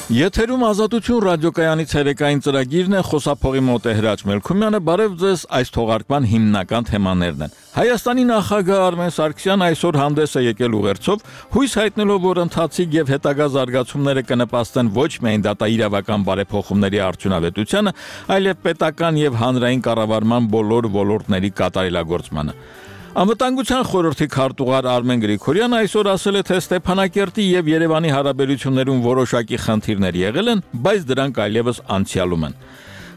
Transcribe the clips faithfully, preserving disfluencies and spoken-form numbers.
Եթերում ազատություն ռադիոկայանի ցերեկային ծրագիրն է, խոսափողի մոտ է Հրաչ Մելքումյանը, բարև ձեզ, այս թողարկման հիմնական թեմաներն են։ Հայաստանի նախագահ Արմեն Սարգսյանն այսօր հանդես է եկել ուղերձով, հույս հայտնելով, որ ընթացիկ եւ հետագա զարգացումները կնպաստեն ոչ միայն դատաիրավական բարեփոխումների արդյունավետությանը, այլև պետական եւ հանրային կառավարման բոլոր ոլորտների կատարելագործմանը։ Անվտանգության խորհրդի քարտուղար Արմեն Գրիգորյանը այսօր ասել է, թե Ստեփանակերտի եւ Երևանի հարաբերություններում որոշակի խնդիրներ եղել են, բայց դրանք այլևս անցյալում են։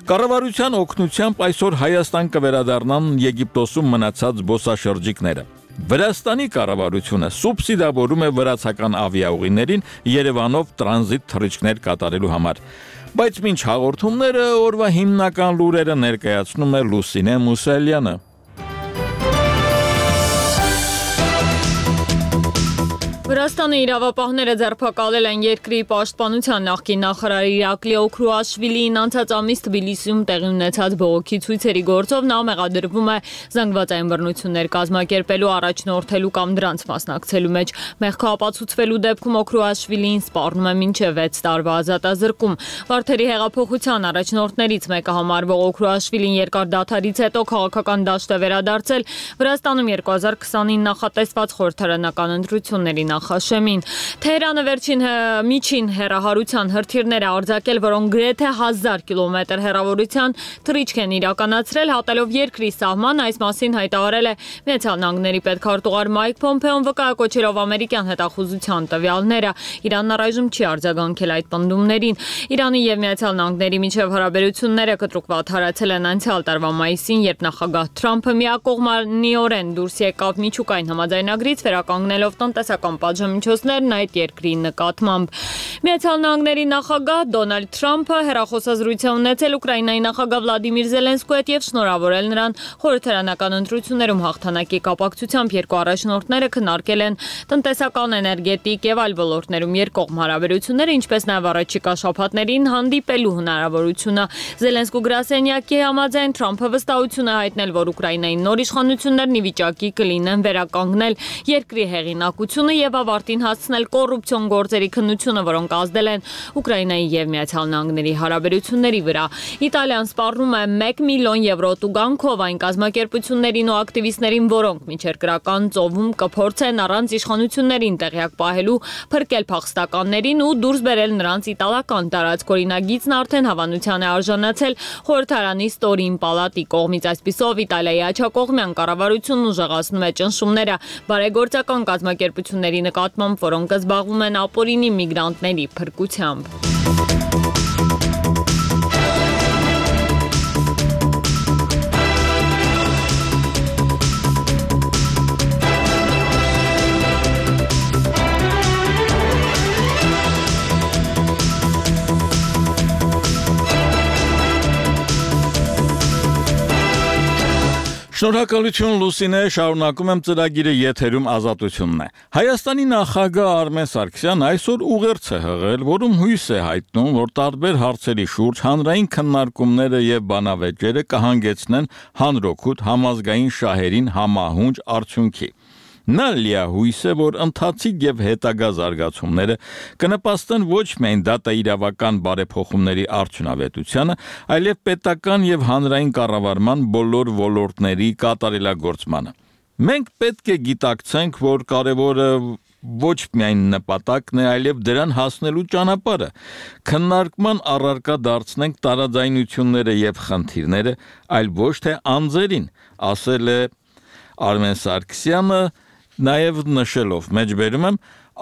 Կառավարության օգնությամբ այսօր Հայաստան կվերադառնան Եգիպտոսում մնացած զբոսաշրջիկները։ Վրաստանի կառավարությունը սուբսիդավորում է վրացական ավիաուղիներին Երևանով տրանզիտ թռիչքներ կատարելու համար։ Բայց մինչ հաղորդումները օրվա հիմնական լուրերը ներկայացնում է Լուսինե Մուսալյանը։ Վրաստանի իրավապահները ձերբակալել են երկրի պաշտպանության նախկին նախարար Իրակլի Օքրուաշվիլիին անցած ամիս Թբիլիսիում տեղի ունեցած բողոքի ցույցերի գործով նա մեղադրվում է զանգվածային բռնություններ կազմակերպելու, առաջնորդելու կամ դրանց մասնակցելու մեջ։ Մեղքը ապացուցվելու դեպքում Օքրուաշվիլիին սպառնում է մինչև վեց տարվա ազատազրկում։ Վարդերի հեղափոխության առաջնորդներից մեկը համարվող Օքրուաշվիլին երկար դադարից հետո քաղաքական դաշտ է վերադարձել Վրաստանում երկու հազար քսանինը նախատեսված խորհրդարանական ընտրությունների Խաշեմին։ Թեհրանը վերջին միջին հեռահարության հրթիռներ է արձակել, որոնք գրեթե հազար կիլոմետր հեռավորության թռիչք են իրականացրել, հատելով երկրի սահման, այս մասին հայտարարել է Միացյալ Նահանգների պետքարտուղար Մայք Փոմփեոն, վկայակոչելով ամերիկյան հետախուզության տվյալները։ Իրանն առայժմ չի արձագանքել այդ պնդումներին։ Իրանի եւ Միացյալ Նահանգների միջև հարաբերությունները կտրուկ վատթարացել են անցյալ տարվա մայիսին, երբ նախագահ Թրամփը միակողմանիորեն դուրս եկավ միջուկային համաձայնագրից, վերականգնելով տնտեսական պատժամիջոցներն այդ երկրի նկատմամբ։ Միացյալ Նահանգների նախագահ Դոնալդ Թրամփը հեռախոսազրույց է ունեցել Ուկրաինայի նախագահ Վլադիմիր Զելենսկու հետ եւ շնորհավորել նրան խորհրդարանական ընտրություններում հաղթանակի կապակցությամբ երկու առաջնորդները քննարկել են տնտեսական, էներգետիկ եւ այլ ոլորտներում երկկողմ հարաբերությունները, ինչպես նաեւ առաջիկա շաբաթներին հանդիպելու հնարավորությունը։ Զելենսկու գրասենյակի համաձայն Թրամփը վստահություն է հայտնել, որ Ուկրաինայի նոր իշխանություններն ի վիճակի կլինեն վերականգնել երկրի հեղինակությունը եւ ավարտին հասցնել կոռուպցիոն գործերի քննությունը, որոնք ազդել են Ուկրաինայի եւ Միացյալ Նահանգների հարաբերությունների վրա։ Իտալիան սպառնում է մեկ միլիոն եվրո տուգանքով այն կազմակերպություններին ու ակտիվիստներին, որոնք միջերկրական ծովում կփորձեն առանց իշխանություններին տեղյակ պահելու փրկել փախստականներին ու դուրս բերել նրանց իտալական տարածք։ Օրինագիծն արդեն հավանության է արժանացել խորհրդարանի ստորին պալատի կողմից։ Այսպիսով Իտալիայի աջակողմյան կառավարությունն ուժեղացնում է ճնշումները բարեգործական կազմակերպությունների նկատմամբ, որոնք զբաղվում են ապօրինի միգրանտների փրկությամբ։ Շնորհակալություն Լուսինե, շարունակում եմ ծրագիրը, եթերում ազատությունն է։ Հայաստանի նախագահ Արմեն Սարգսյանն այսօր ուղերձ է հղել, որում հույս է հայտնում, որ տարբեր հարցերի շուրջ հանրային քննարկումները եւ բանավեճերը կհանգեցնեն հանրօգուտ համազգային շահերին համահունչ արդյունքի։ Նա լիահույս է, որ ընթացիկ եւ հետագա զարգացումները կնպաստեն ոչ միայն դատաիրավական բարեփոխումների արդյունավետությանը, այլև պետական եւ հանրային կառավարման բոլոր ոլորտների կատարելագործմանը։ Մենք պետք է գիտակցենք, որ կարևորը ոչ միայն նպատակն է, այլև դրան հասնելու ճանապարհը։ Քննարկման առարկա դարձնենք տարաձայնությունները եւ խնդիրները, այլ ոչ թե անձերին, ասել է Արմեն Սարգսյանը, նաև նշելով, մեջբերում եմ,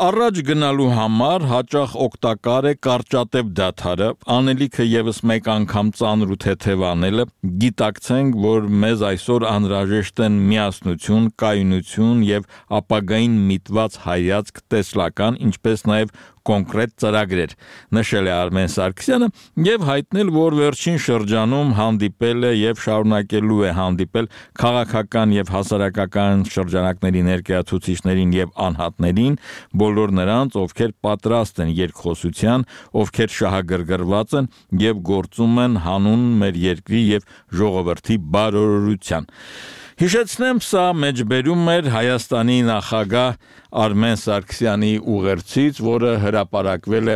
առաջ գնալու համար հաճախ օգտակար է կարճատև դադարը, անելիքը եւս մեկ անգամ ծանր ու թեթև անելը, գիտակցենք, որ մեզ այսօր անհրաժեշտ են միասնություն, կայունություն եւ ապագային միտված հայացք տեսլական, ինչպես նաեւ կոնկրետ ծրագրեր, նշել է Արմեն Սարգսյանը եւ հայտնել, որ վերջին շրջանում հանդիպել է եւ շարունակելու է հանդիպել քաղաքական եւ հասարակական շրջանակների ներկայացուցիչներին եւ անհատներին, բոլոր նրանց, ովքեր պատրաստ են երկխոսության, ովքեր շահագրգռված են եւ գործում են հանուն մեր երկրի եւ ժողովրդի բարօրության։ Հիշեցնեմ, սա մեջբերում էր Հայաստանի նախագահ Արմեն Սարգսյանի ուղերձից, որը հրապարակվել է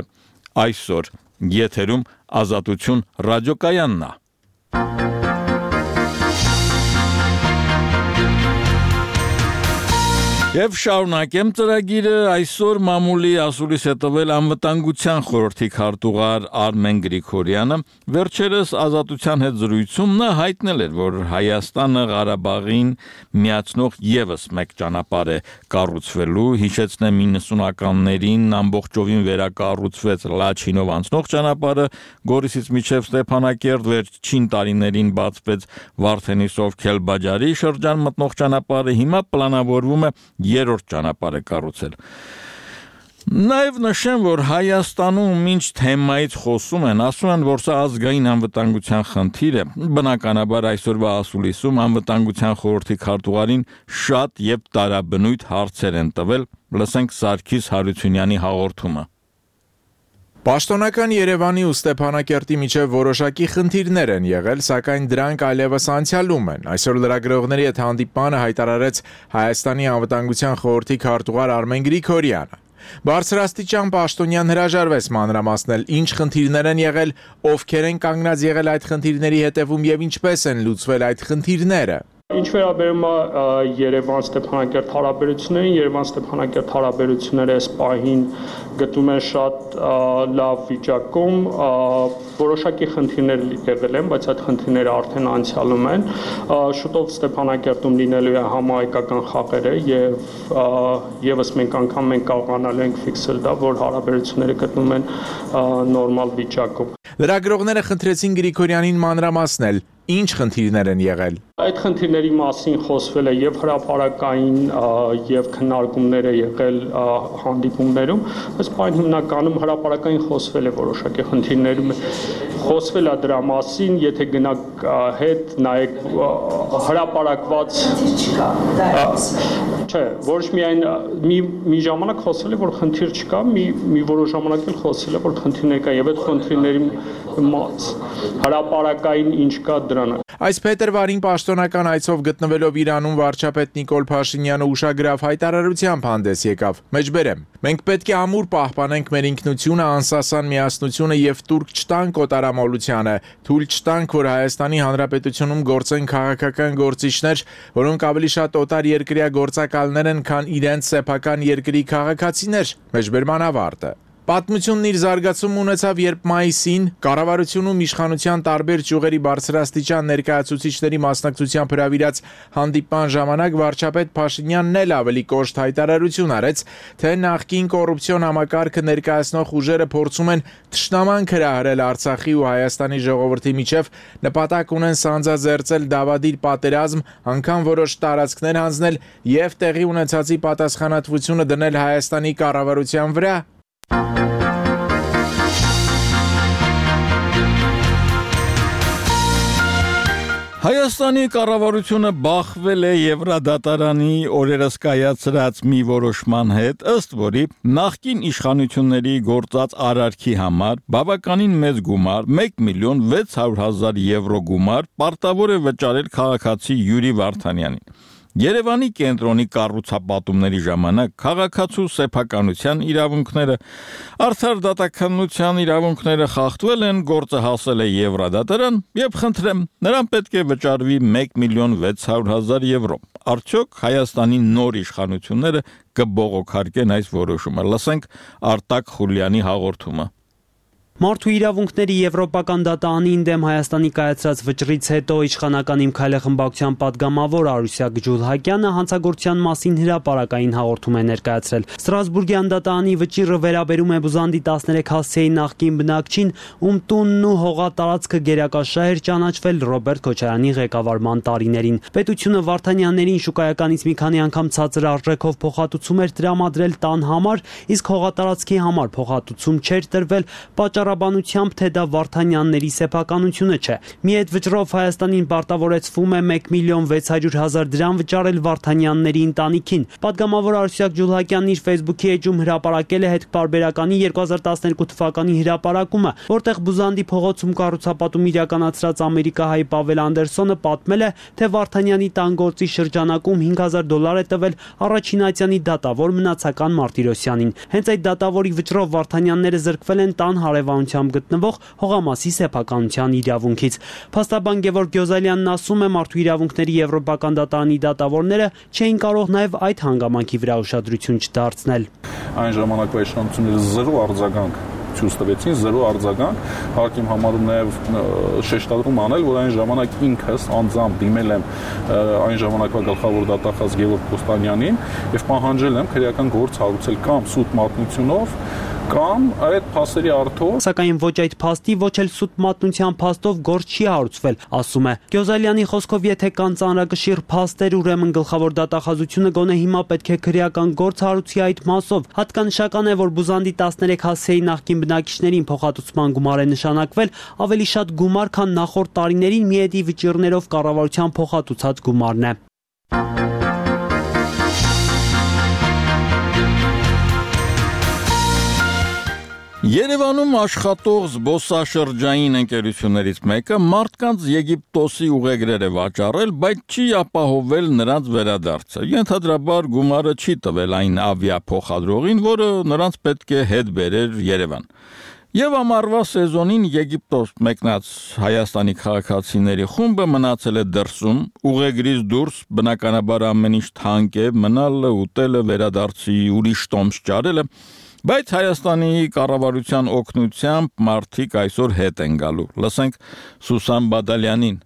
Այսօր եթերում Ազատություն ռադիոկայանն է։ Եվ շարունակեմ ծրագիրը այսօր մամուլի ասուլիս է տվել անվտանգության խորհրդի քարտուղար Արմեն Գրիգորյանը վերջերս Ազատության հետ զրույցում նա հայտնել էր, որ Հայաստանը Ղարաբաղին միացնող եւս մեկ ճանապարհ է կառուցվելու, հիշեցնեմ իննսունականներին ամբողջովին վերակառուցվեց Լաչինով անցնող ճանապարհը, Գորիսից մինչև Ստեփանակերտ, վերջին տարիներին բացվեց Վարդենիսով Քելբաջարի շրջան մտնող ճանապարհը, հիմա պլանավորվում է երրորդ ճանապարհը կառուցել։ Նաև նշեմ, որ Հայաստանում ինչ թեմայից խոսում են, ասում են, որ սա ազգային անվտանգության խնդիր է։ Բնականաբար այսօրվա ասուլիսում անվտանգության խորհրդի քարտուղարին շատ եւ տարաբնույթ հարցեր են տվել։ Լսենք Սարգիս Հարությունյանի հաղորդումը։ Պաշտոնական Երևանի ու Ստեփանակերտի միջև որոշակի խնդիրներ են եղել, սակայն դրանք այլևս անցյալում են։ Այսօր լրագրողների հետ հանդիպմանը հայտարարեց Հայաստանի անվտանգության խորհրդի քարտուղար Արմեն Գրիգորյանը։ Բարձրաստիճան պաշտոնյան հրաժարվեց մանրամասնել ինչ խնդիրներ են եղել, ովքեր են կանգնած եղել այդ խնդիրների հետևում եւ ինչպես են լուծվել այդ խնդիրները։ Ինչ վերաբերում է Երևան-Ստեփանակերտ հարաբերություններին, Երևան-Ստեփանակերտ հարաբերությունները այս պահին գտնում են շատ լավ վիճակում, որոշակի խնդիրներ եղել են, բայց այդ խնդիրները արդեն անցյալում են։ Շուտով Ստեփանակերտում լինելու է համահայկական խաղերը եւ եւս մենք անգամ մենք կարողանալու ենք ֆիքսել դա, որ հարաբերությունները գտնում են նորմալ վիճակում։ Լրագրողները խնդրեցին Գրիգորյանին մանրամասնել, ինչ խնդիրներ են եղել։ Այդ խնդիրների մասին խոսվել է եւ հրապարակային եւ քննարկումներ է եղել հանդիպումներում, բայց պայն հիմնականում հրապարակային խոսվել է որոշակի խնդիրներում խոսվել է դրա մասին, եթե գնաք հետ նայեք հրապարակված չէ, ոչ միայն մի մի ժամանակ խոսվել է, որ խնդիր չկա, մի մի որոշ ժամանակ էլ խոսվել է, որ խնդիրներ կա եւ այդ խնդիրների հրապարակային ինչ կա դրան։ Այս փետրվարին պաշտոնական այցով գտնվելով Իրանում վարչապետ Նիկոլ Փաշինյանը ուշագրավ հայտարարությամբ հանդես եկավ։ Մեջբերեմ։ Մենք պետք է ամուր պահպանենք մեր ինքնությունը, անսասան միասնությունը եւ տուրք չտանք օտարամոլությանը, թույլ չտանք, որ Հայաստանի Հանրապետությունում գործեն քաղաքական գործիչներ, որոնք ավելի շատ օտար երկրյա գործակալներ են, քան իրենց սեփական երկրի քաղաքացիներ։ Մեջբերման ավարտը։ Պատմությունն իր զարգացում ունեցավ, երբ մայիսին կառավարությունում իշխանության տարբեր ճյուղերի բարձրաստիճան ներկայացուցիչների մասնակցությամբ հրավիրած հանդիպման ժամանակ վարչապետ Փաշինյանն էլ ավելի կոշտ հայտարարություն արեց, թե նախկին կոռուպցիոն համակարգը ներկայացնող ուժերը փորձում են թշնամանք հրահրել Արցախի ու Հայաստանի ժողովրդի միջև, նպատակ ունեն սանձազերծել դավադիր պատերազմ, անգամ որոշ տարածքներ հանձնել եւ տեղի ունեցածի պատասխանատվությունը դնել Հայաստանի կառավարության վրա։ Հայաստանի կառավարությունը բախվել է Եվրադատարանի օրերս կայացրած մի որոշման հետ, ըստ որի նախկին իշխանությունների գործած արարքի համար բավականին մեծ գումար մեկ միլիոն վեց հարյուր հազար եվրո գումար պարտավոր է վճարել քաղաքացի Յուրի Վարդանյանին։ Երևանի կենտրոնի կառուցապատումների ժամանակ քաղաքացու սեփականության իրավունքները, արդար դատականության իրավունքները խախտվել են, գործը հասել է Եվրադատարան եւ խնդրեմ, նրան պետք է վճարվի մեկ միլիոն վեց հարյուր հազար եվրո։ Արդյոք Հայաստանի նոր իշխանությունները կբողոքարկեն այս որոշումը։ Լսենք Արտակ Խուլյանի հաղորդումը։ Մարդու իրավունքների Եվրոպական դատարանին դեմ Հայաստանի կայացրած վճռից հետո իշխանական Իմ քայլը խմբակցության падգամավոր Արուսյակ Ջուլհակյանը հանցագործության մասին հրապարակային հաղորդում է ներկայացրել։ Ստրասբուրգյան դատարանի վճիռը վերաբերում է Բուզանդի տասներեք հասցեի նախկին բնակչին, ում տունն ու հողատարածքը գերակաշահ էր ճանաչվել Ռոբերտ Քոչարյանի ղեկավարման տարիներին։ Պետությունը Վարդանյաններին շուկայականից մի քանի անգամ ցածր արժեքով փոխհատուցում էր տրամադրել տան համար, իսկ հողատարածքի համար փոխհատուցում չէր տրվել, պատճառ փառաբանությամբ, թե դա Վարդանյանների սեփականությունը չէ։ Մի այդ վճռով Հայաստանին պարտավորեցվում է մեկ միլիոն վեց հարյուր հազար դրամ վճարել Վարդանյանների ընտանիքին։ Պատգամավոր Արուսյակ Ջուլհակյանն իր Facebook-ի էջում հրապարակել է հետքպարբերականի երկու հազար տասներկու թվականի հրապարակումը, որտեղ Բուզանդի փողոցում կառուցապատում իրականացրած ամերիկահայ Պավել Անդերսոնը պատմել է, թե Վարդանյանի տան գործի շրջանակում հինգ հազար դոլար է տվել Առաջինացյանի դատավոր Մնացական Մարտիրոսյանին։ Հենց այդ դատավորի վճռով Վարդանյանները զրկվել են տան հարևանությամբ գտնվող հողամասի սեփականության իրավունքից։ Փաստաբան Գևորգ Գյոզալյանն ասում է, մարդու իրավունքների եվրոպական դատարանի դատավորները չէին կարող նաև այդ հանգամանքի վրա ուշադրություն չդարձնել։ Այն ժամանակվա իշխանությունները զրո արձագանք ցույց տվեցին, զրո արձագանք, հարկ եմ համարում նաև շեշտադրում անել, որ այն ժամանակ ինքս անձամբ դիմել եմ այն ժամանակվա գլխավոր դատախազ Գևորգ Կոստանյանին եւ պահանջել եմ քրեական գործ հարուցել կամ սուտ մատնությունով կամ այդ փաստերի առթով, սակայն ոչ այդ փաստի, ոչ էլ սուտ մատնության փաստով գործ չի հարուցվել, ասում է։ Գյոզալյանի խոսքով, եթե կան ծանրակշիռ փաստեր, ուրեմն գլխավոր դատախազությունը գոնե հիմա պետք է քրեական գործ հարուցի այդ մասով։ Հատկանշական է, որ Բուզանդի տասներեք հասցեի նախկին բնակիչներին փոխհատուցման գումար է նշանակվել ավելի շատ գումար, քան նախորդ տարիներին միեդի վճիռներով կառավարության փոխհատուցած գումարն է։ Երևանում աշխատող զբոսաշրջային ընկերություններից մեկը մարդկանց Եգիպտոսի ուղեգրեր է վաճառել, բայց չի ապահովել նրանց վերադարձը։ Ենթադրաբար գումարը չի տվել այն ավիափոխադրողին, որը նրանց պետք է հետ բերեր Երևան։ Եվ ամառվա սեզոնին Եգիպտոս մեկնած Հայաստանի քաղաքացիների խումբը մնացել է դրսում, ուղեգրից դուրս բնականաբար ամեն ինչ թանկ է, մնալը, ուտելը, վերադարձի ուրիշ տոմս ճարելը, բայց Հայաստանի կառավարության օգնությամբ մարդիկ այսօր հետ են գալու։ Լսենք Սուսան Բադալյանին։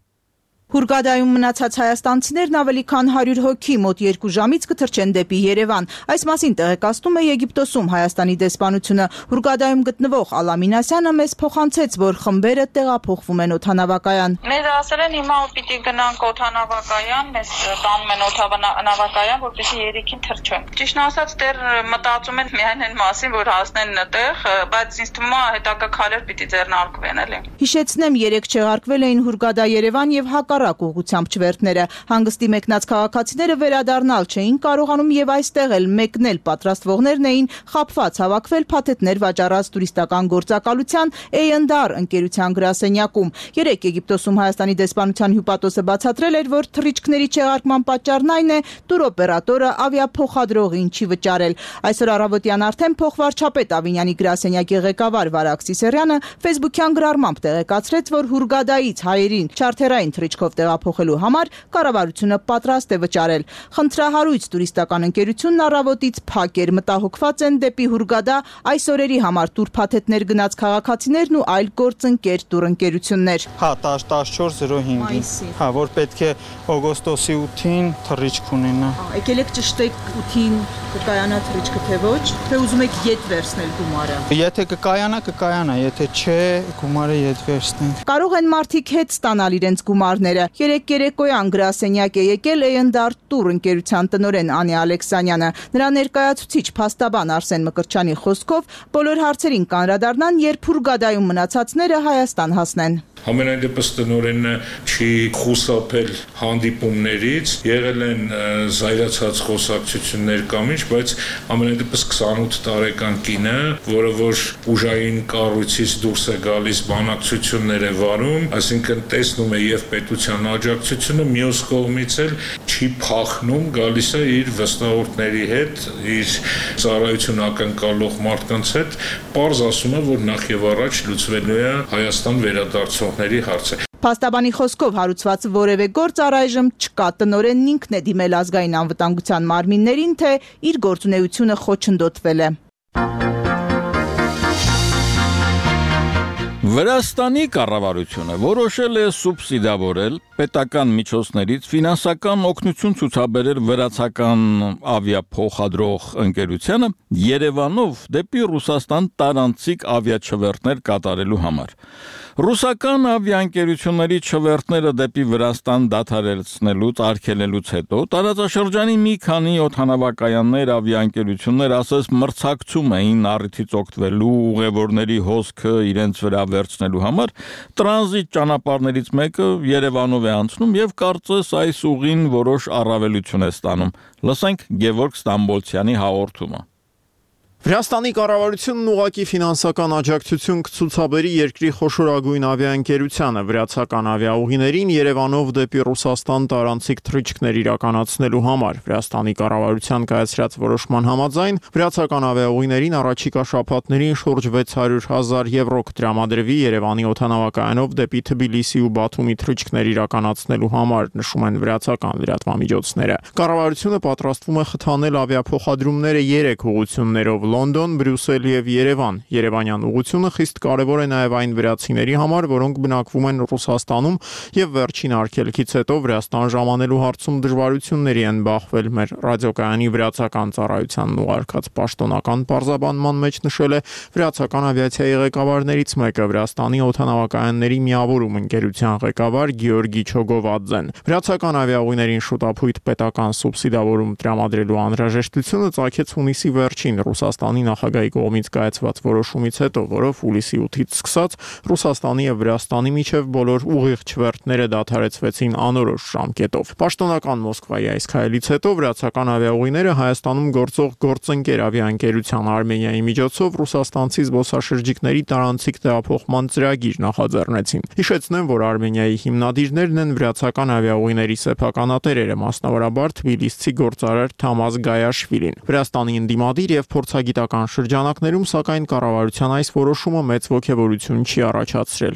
Հուրգադայում մնացած հայաստանցիներն ավելի քան հարյուր հոգի մոտ երկու ժամից կթռչեն դեպի Երևան։ Այս մասին տեղեկացնում է Եգիպտոսում Հայաստանի դեսպանությունը։ Հուրգադայում գտնվող Ալամինասյանը մեզ փոխանցեց, որ խմբերը տեղափոխվում են օդանավակայան։ Մեզ ասել են հիմա պիտի գնանք օդանավակայան, մեզ տանում են օդանավակայան, որպեսզի երիքին թռչենք։ Ճիշտն ասած, դեռ մտածում են միայն այն մասին, որ հասնեն այդտեղ, բայց ինձ թվում է հետագա քայլեր պիտի ձեռնարկվեն, էլի։ Հիշեցնեմ, երեք չեղարկվել էին Հուրգադա Երևան եւ հակառակ ուղղությամբ չվերթները։ Հանգստի մեկնած քաղաքացիները վերադառնալ չէին կարողանում եւ այստեղ էլ մեկնել պատրաստվողներն էին խաբված հավաքվել փաթեթներ վաճառած տուրիստական գործակալության էյ էնդ ար ընկերության գրասենյակում։ Երեք Եգիպտոսում Հայաստանի դեսպանության հյուպատոսը բացատրել էր, որ թռիչքների չեղարկման պատճառն այն է, տուրօպերատորը ավիափոխադրողին չի վճարել։ Այսօր առավոտյան արդեն փոխվարչապետ Ավինյանի գրասենյակի ղեկավար Վարակ Սիսերյանը Facebook-յան գրառմամբ տեղեկացրեց, որ Հուրգադայից հայերին չարթերային թռիչքով տեղափոխելու համար կառավարությունը պատրաստ է վճարել։ Խնդրահարույց տուրիստական ընկերությունն առավոտից փակ էր, մտահոգված են դեպի Հուրգադա այս օրերի համար տուրփաթեթներ գնաց քաղաքացիներն ու այլ գործընկեր տուրընկերություններ։ Հա, տասնչորս զրո հինգ։ Հա, որ պետք է օգոստոսի ութին թռիչք ունենա։ Եկել եք ճշտեք ութին կկայանա թռիչքը թե ոչ, թե ուզում եք ետ վերցնել գումարը։ Եթե կկայանա, կկայանա, եթե չէ, գումարը ետ վերցնենք։ Կարող են մարդիկ հետ ստանալ իրենց գումարները։ Երեք երեկոյան գրասենյակ է եկել էյ էնդ ար տուր ընկերության տնօրեն Անի Ալեքսանյանը։ Նրա ներկայացուցիչ փաստաբան Արսեն Մկրտչյանի խոսքով բոլոր հարցերին կանրադառնան, երբ Հուրգադայում մնացածները Հայաստան հասնեն։ Ամենայն դեպս տնօրենը չի խուսափել հանդիպումներից, եղել են զայրացած խոսակցություններ կամ ինչ, բայց ամենայն դեպս քսանութ տարեկան կինը, որը որ ուժային կառույցից դուրս է գալիս, բանակցություններ է վարում, այսինքն տեսնում է եւ պետության աջակցությունը, մյուս կողմից էլ չի փախնում, գալիս է իր վստահորդների հետ, իր ծառայություն ակնկալող մարդկանց հետ, պարզ ասում է, որ նախ եւ առաջ լուծվելու է Հայաստան վերադարձող հարցը։ Փաստաբանի խոսքով հարուցված որևէ գործ առայժմ չկա, տնօրենն ինքն է դիմել ազգային անվտանգության մարմիններին, թե իր գործունեությունը խոչընդոտվել է։ Վրաստանի կառավարությունը որոշել է սուբսիդավորել պետական միջոցներից ֆինանսական օգնություն ցուցաբերել վրացական ավիափոխադրող ընկերությանը Երևանով դեպի Ռուսաստան տարանցիկ ավիաչվերթներ կատարելու համար։ Ռուսական ավիաընկերությունների չվերթները դեպի Վրաստան դադարեցնելուց արգելելուց հետո տարածաշրջանի մի քանի օդանավակայաններ ավիաընկերություններ ասես մրցակցում էին առիթից օգտվելու ուղևորների հոսքը իրենց վրա վերցնելու համար տրանզիտ ճանապարհներից մեկը Երևանով է անցնում եւ կարծես այս ուղին որոշ առավելություն է ստանում։ Լսենք Գևորգ Ստամբոլցյանի հաղորդումը։ Վրաստանի կառավարությունն ուղղակի ֆինանսական աջակցություն կցուցաբերի երկրի խոշորագույն ավիաընկերությանը վրացական ավիաուղիներին Երևանով դեպի Ռուսաստան տարանցիկ թռիչքներ իրականացնելու համար։ Վրաստանի կառավարության կայացրած որոշման համաձայն վրացական ավիաուղիներին առաջիկա շաբաթներին շուրջ վեց հարյուր հազար եվրո կտրամադրվի Երևանի օդանավակայանով դեպի Թբիլիսի ու Բաթումի թռիչքներ իրականացնելու համար, նշում են վրացական լրատվամիջոցները։ Կառավարությունը պատրաստվում է խթանել ավիափոխադրումները երեք ուղղություններով Լոնդոն, Բրյուսել եւ Երևան։ Երևանյան ուղղությունը խիստ կարևոր է նաեւ այն վրացիների համար, որոնք բնակվում են Ռուսաստանում եւ վերջին արգելքից հետո Վրաստան ժամանելու հարցում դժվարությունների են բախվել։ Մեր ռադիոկայանի վրացական ծառայությանն ուղարկած պաշտոնական պարզաբանման մեջ նշել է վրացական ավիացիայի ղեկավարներից մեկը Վրաստանի օդանավակայանների միավորում ընկերության ղեկավար Գեորգի Չոգովադզեն։ Վրացական ավիաուղիներին շուտապույտ պետական սուբսիդավորում տրամադրելու անհրաժեշտությունը ծագեց հունիսի վերջին Ռուսաստանի նախագահի կողմից կայացված որոշումից հետո, որով հուլիսի ութից սկսած Ռուսաստանի եւ Վրաստանի միջև բոլոր ուղիղ չվերթները դադարեցվեցին անորոշ ժամկետով։ Պաշտոնական Մոսկվայի այս քայլից հետո վրացական ավիաուղիները Հայաստանում գործող գործընկեր ավիաընկերության Արմենիայի միջոցով ռուսաստանցի զբոսաշրջիկների տարանցիկ տեղափոխման ծրագիր նախաձեռնեցին։ Հիշեցնեմ, որ Արմենիայի հիմնադիրներն են վրացական ավիաուղիների սեփականատերերը, մասնավորաբար թբիլիսցի գործարար Թամազ Գայաշվիլին։ Վրաստանի ընդդիմադիր եւ փորձագիտական շրջանակներում, սակայն կառավարության այս որոշումը մեծ ոգևորություն չի առաջացրել։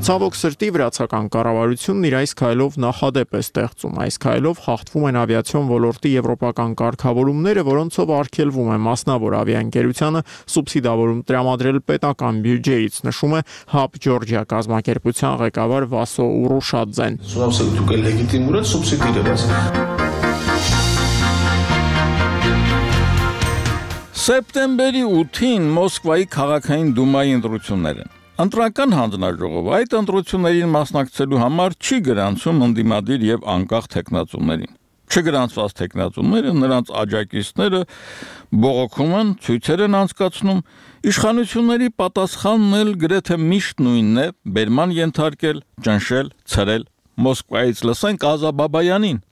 Ցավոք սրտի վրացական կառավարությունն իր այս քայլով նախադեպ է ստեղծում։ Այս քայլով խախտվում են ավիացիոն ոլորտի եվրոպական կարգավորումները, որոնցով արգելվում է մասնավոր ավիաընկերությանը սուբսիդավորում տրամադրել պետական բյուջեից, նշում է Hub Georgia կազմակերպության ղեկավար Վասո Ուրուշադզեն։ Սեպտեմբերի ութին Մոսկվայի քաղաքային դումայի ընտրություններ են։ Ընտրական հանձնաժողովը այդ ընտրություններին մասնակցելու համար չի գրանցում ընդդիմադիր եւ անկախ թեկնածուներին։ Չգրանցված թեկնածուները, նրանց աջակիցները բողոքում են, ցույցեր են անցկացնում, իշխանությունների պատասխանն էլ գրեթե միշտ նույնն է՝ բերման ենթարկել, ճնշել, ցրել։ Մոսկվայից լսենք Ազա Բաբայանին։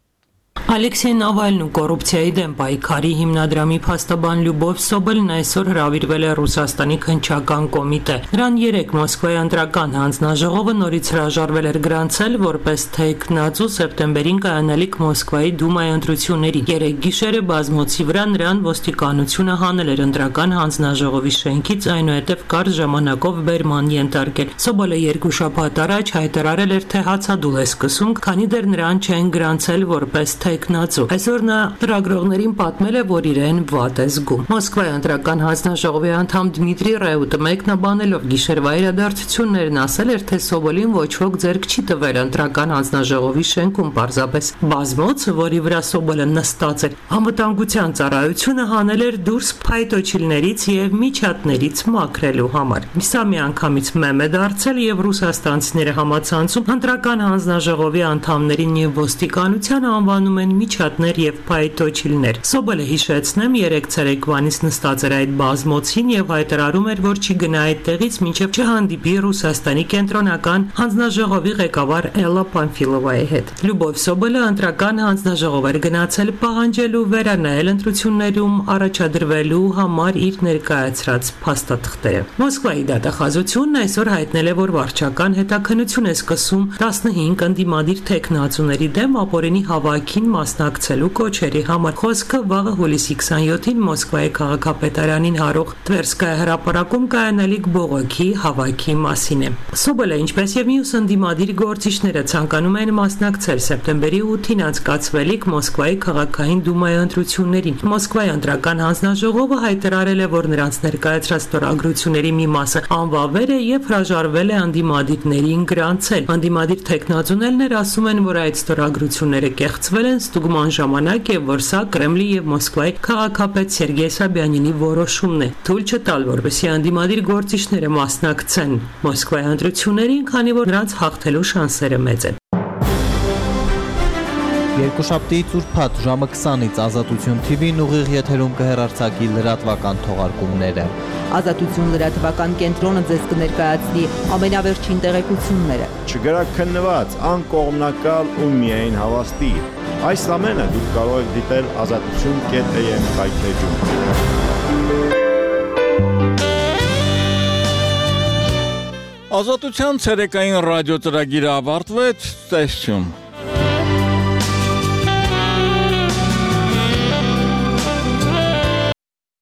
Ալեքսեյ Նավալնն ու կոռուպցիայի դեմ պայքարի հիմնադրամի փաստաբան Լյուբով Սոբելն այսօր հրավիրվել է Ռուսաստանի քննչական կոմիտե։ Նրան երեկ Մոսկվայի ընտրական հանձնաժողովը նորից հրաժարվել էր գրանցել որպես թեկնածու սեպտեմբերին կայանալիք Մոսկվայի դումայի ընտրություններին։ Երեկ գիշերը բազմոցի վրա նրան ոստիկանությունը հանել էր ընտրական հանձնաժողովի շենքից, այնուհետև կարճ ժամանակով բերման ենթարկել։ Սոբելը երկու շաբաթ առաջ հայտարարել էր, թե հացադուլ է սկսում, քանի դեռ նրան չեն գրանցել որպես թեկնածու։ Այսօր նա լրագրողներին պատմել է, որ իրեն վատ է զգում։ Մոսկվայի ընտրական հանձնաժողովի անդամ Դմիտրի Ռեուտը մեկնաբանելով գիշերվա իրադարձություններն ասել էր, թե Սոբոլին ոչ ոք ձեռք չի տվել ընտրական հանձնաժողովի շենքում, պարզապես բազմոցը, որի վրա Սոբոլը նստած էր, անվտանգության ծառայությունը հանել էր դուրս փայտոջիլներից եւ միջատներից մաքրելու համար։ Սա միանգամից մեմ է դարձել եւ ռուսաստանցիները համացանցում ընտրական հանձնաժողովի անդամներին եւ ոստիկանությանը անվանում են միջատներ եւ փայտոջիլներ։ Սոբելը հիշեցնեմ, երեք ցերեկվանից նստած էր այդ բազմոցին եւ հայտարարում էր, որ չի գնա այդտեղից մինչեւ չհանդիպի Ռուսաստանի կենտրոնական հանձնաժողովի ղեկավար Էլլա Պանֆիլովայի հետ։ Լյուբով Սոբելը ընտրական հանձնաժողով էր գնացել պահանջելու վերանայել ընտրություններում առաջադրվելու համար իր ներկայացրած փաստաթղթերը։ Մոսկվայի դատախազությունն այսօր հայտնել է, որ վարչական հետաքննություն է սկսում տասնհինգ ընդդիմադիր թեկնածուների դեմ ապօրինի հավաքին ցուցադրումներին մասնակցելու կոչերի համար։ Խոսքը վաղը հուլիսի քսաներկուին Մոսկվայի քաղաքապետարանին հարող Տվերսկայա հրապարակում կայանալիք բողոքի հավաքի մասին է։ Սոբոլը, ինչպես եւ մյուս ընդդիմադիր գործիչները ցանկանում են մասնակցել սեպտեմբերի ութին անցկացվելիք Մոսկվայի քաղաքային դումայի ընտրություններին։ Մոսկվայի ընտրական հանձնաժողովը հայտարարել է, որ նրանց ներկայացրած ստորագրությունների մի մասը անվավեր է եւ հրաժարվել է անդիմադիրներին գրանցել։ Անդիմադիր տեխնազոներներ ասում են, որ այդ ստորագրությունները կեղծվել են ստուգման ժամանակ եւ որ սա Կրեմլի եւ Մոսկվայի քաղաքապետ Սերգեյ Սաբյանինի որոշումն է։ Թույլ չտալ, որպեսզի անդիմադիր գործիչները մասնակցեն Մոսկվայի ընտրություններին, քանի որ նրանց հաղթելու շանսերը մեծ են։ Երկուշաբթի ծուրփաթ ժամը քսանից Ազատություն Թի Վին ուղիղ եթերում կհեռարձակի լրատվական թողարկումները։ Ազատություն լրատվական կենտրոնը ձեզ կներկայացնի ամենավերջին տեղեկությունները։ Չգրաքննված, անկողմնակալ ու միայն հավաստի։ Այս ամենը դուք կարող եք դիտել ազատություն կետ է եմ կայքեջում։ Ազատության ցերեկային ռադիո ծրագիրը ավարտվեց, տեսություն։